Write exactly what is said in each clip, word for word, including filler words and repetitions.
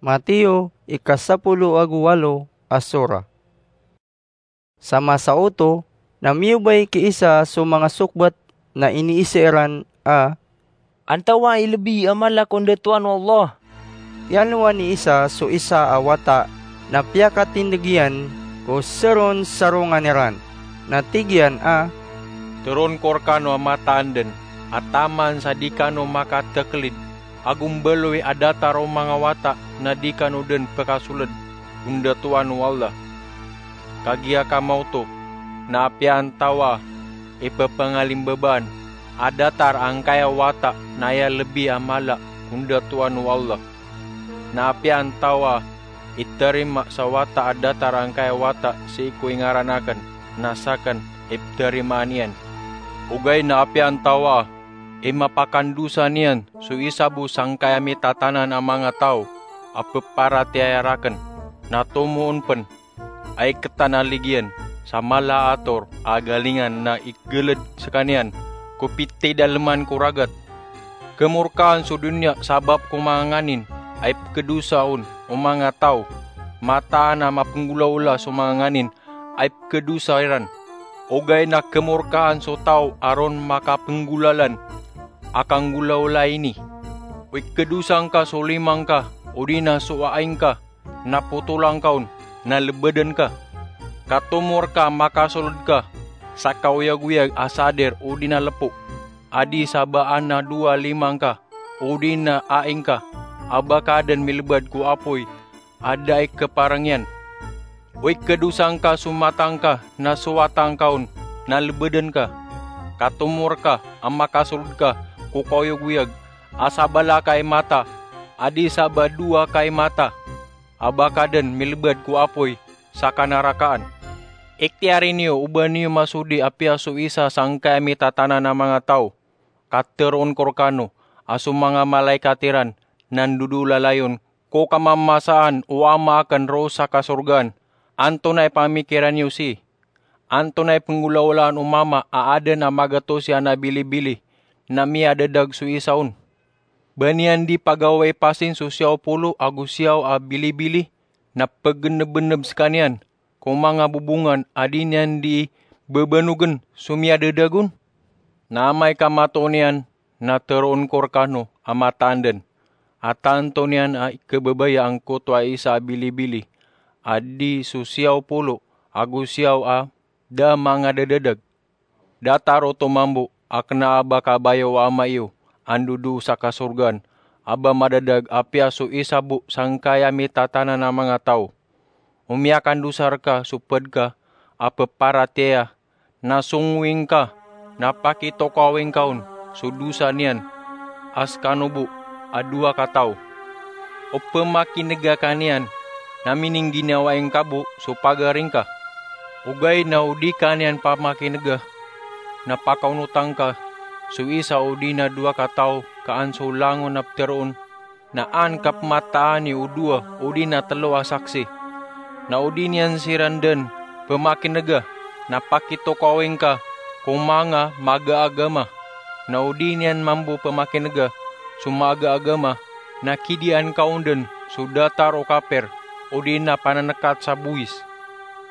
Mateo, ika sapolo ago walo a sura. Sa masa oto, na miyobay ki Isa so manga sokbat na iniisa iran a, "Antawaa i lbi a mala ko ndatoan o Allah?" Tiyanowa ni Isa so isa a wata na piyakatindg iyan ko saronsarongan iran, na tig iyan a, "Tharoon ko rkano a mataan dn a taman sa di kano makataklid a gombaloy a datar o manga wata na di kano dn pkasold ko ndatoan o Allah. Kagiya kamaoto na apiya antawaa i ppangalimbabaan a datar angkaya wata na aya lbi a mala ko ndatoan o Allah, na apiya antawaa i tharima sa wata a datar angkaya wata sii ko ingaran akn, na sakn i ptharimaan iyan. Ogaid na apiya antawaa i mapakandosa niyan so isa bo sangkaya mitatanan a manga taw a pparatiyaya rakn, na tomo on pn a iktan a ligiyan sa mala a ator a galingan na igalad skaniyan ko pitidalman ko ragat. Kmorkaan so doniya sabap ko manga nganin a ipkhadosa on o manga taw, mataan a mapnggolaola so manga nganin a ipkhadosa iran. Ogaid na kmorkaan so taw a ron makapnggolalan a kanggolaola ini. O ikhadosa ngka so lima ngka, odi na so ai ngka, na potola ngka on, na lbadn ka. Ka tomo rka a makasold ka sa kaoyagoyag a sadir odi na lpo, a di sa ba adn a dowa lima ngka, odi na ai ngka, a ba ka dn milbad ko apoy a da i kparang iyan. O ikhadosa ngka so mata ngka na so wata ngka on, na lbadn ka. Ka tomo rka a makasold ka ko kaoyagoyag a sabala ka i mata, a di sa ba dowa ka i mata, a ba ka dn milbad ko apoy sa kanarakaan. Iktiyari niyo o ba niyo masodi apiya so isa sangkaya mitatanan a manga taw. Ka tharoon ko rkano a so manga malaikat iran na ndodolalayon ko kamamasaan o Ama akn roo sa kasorgaan. Antonaa i pamikiran iyo sii? Antonaa i pnggolaolaan o mama a adn a magatos iyan a bilibili na miyadadag so isa on? Ba niyan di pagawai pasin so siyaw polo ago siyaw a bilibili na pgnbnb skaniyan ko manga bobongan a di niyan di bbanogn so miyadadag on? Na amay ka matoon iyan, na tharoon ko rkano a mataan dn a tanto niyan a ikhababaya angkoto a isa a bilibili a di so siyaw polo ago siyaw a da mangadadadag. Datar oto mambo a kna a ba kabaya o Ama iyo a ndodoo sa kasorgaan a ba madadag apiya so isa bo sangkaya mitatanan a manga taw. O miyakandosa rka so pd ka a pparatiyaya, na songowi ngka, na pakitokawi ngka on so dosa niyan a skano bo a dowa ka taw. O pmakin'ga ka niyan, na miningginawai ngka bo so pagari ngka. Ogaid na o di ka niyan pamakin'ga, na pakaonota ngka so isa odi na dowa ka taw ka an so langon a ptharoon, na an ka pmataani o dowa odi na tlo a saksi. Na o di niyan siran dn pmakin'ga, na pakitokawi ngka ko manga maga a agama. Na o di niyan mambo pmakin'ga so maaga a agama, na kidiyaan ka on dn so datar o kapir odi na panan'kat sa bowis.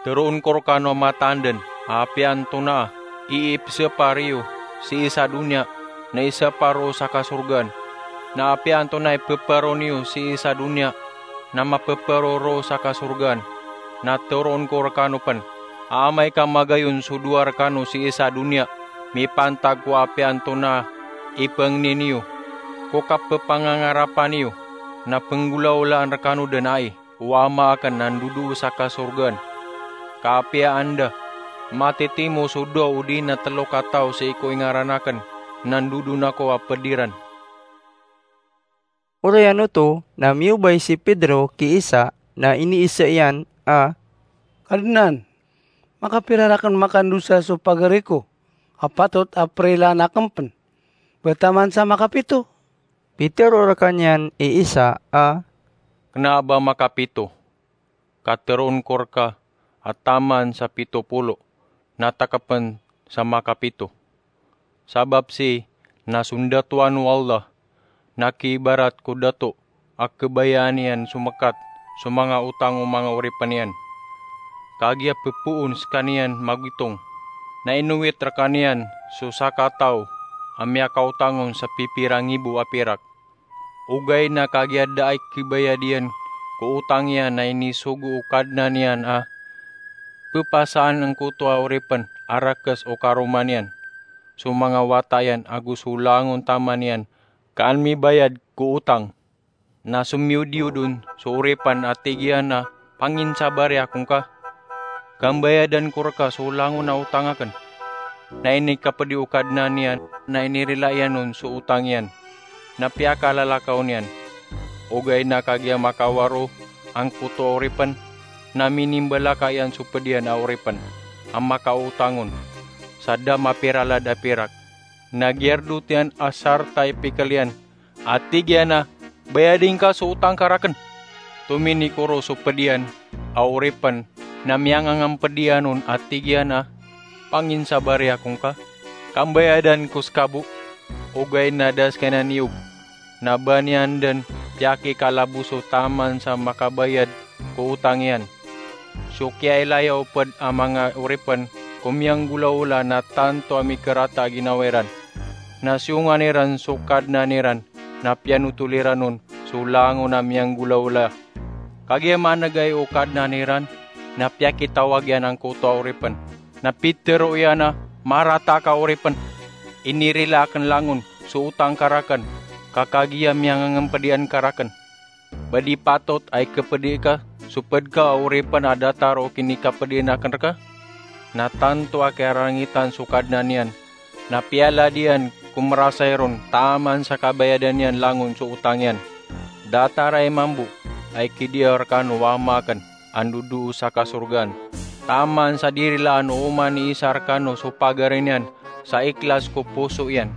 Tharoon ko rkano a mataan dn a apiya antonaa i ipsapar iyo sii sa doniya na isapar roo sa kasorgaan, na apiya antonaa i pparo niyo sii sa doniya na mapparo roo sa kasorgaan. Na tharoon ko rkano pn a amay ka magayon so dowa rkano sii sa doniya mipantag ko apiya antonaa i pangni niyo ko kappangangarapan iyo, na pnggolaolaan rkano dn ai o Ama akn a ndodoo sa kasorgaan. Ka apiya anda matitimo so dowa odi na tlo ka taw sii ko ingaran akn, na ndodon ako a pd iran. Oriyan oto na miyobay si Pedro ki Isa na iniisa iyan a, "Kadnan, makapira rakn makandosa so pagari ko a patot a prilaan akn pn? Ba taman sa makapito?" Pitharo rkaniyan i Isa a, "Kna a ba makapito. Ka tharoon ko rka a taman sa pito polo, na takpn sa makapito. Sabap sii na so ndatoan o Allah na kiibarat ko dato a khabayaan iyan so mekat so manga otang o manga oripen iyan. Kagiya pepoon sekaniyan magitong, na inowit rekaniyan so sakataw a miyakaotang on sa pipira ngibo a pirak. Ogaid na kagiya da a ikhabayad iyan ko otang iyan na inisogo o kadnan iyan a pepasaan angkoto a oripen a rekes o karoma niyan so manga wata iyan ago so langon taman iyan ka an mibayad ko otang. Na somiyodiod on so oripen a tig iyan a, "Panginsabari akongka, ka mbayadan ko reka so langon a otang aken." Na inikapedi o kadnan iyan na inirila iyan on so otang iyan, na piyakalalakaw niyan. Ogaid na kagiya makawaro angkoto a oripen, na minimbalaka iyan so ped iyan a oripen a makaotang on sa da mapiralad a pirak. Na giyardot iyan a sarta i pikel iyan a tig iyan a, "Bayadi ngka so otang ka raken." Tominikoro so ped iyan a oripen na miyangangemped iyan on a tig iyan a, "Panginsabari akongka, ka mbayadan ko seka bo." Ogaid na da sekaniyan iyog, na ba niyan den piyakikalaboso taman sa makabayad ko otang iyan. So kiyailaya o ped a manga oripen ko miyanggolaola na tanto a mikerata a ginawa iran. Na siyongan iran so kadnan iran na piyanotol iran on so langon a miyanggolaola. Kagiya manegay o kadnan iran na piyakitawag iyan angkoto a oripen, na pitero iyan a, "Marata ka oripen. Inirila aken langon so otang ka raken, ka kagiya miyangangemped iyan ka raken. Ba di patot a ikapedi ka so ped ka a oripen a datar o kinikapedien aken reka?" Na tanto a kiyarangitan so kadnan iyan, na piyalad iyan ko merasay ron taman sa kabayadan iyan langon so otang iyan. Datar a imambo a ikidiyaw rekano o Ama aken a ndodoo sa kasorgaan, taman sa di rilaan o oman i isa rekano so pagari niyan sa ikhlas ko poso iyan.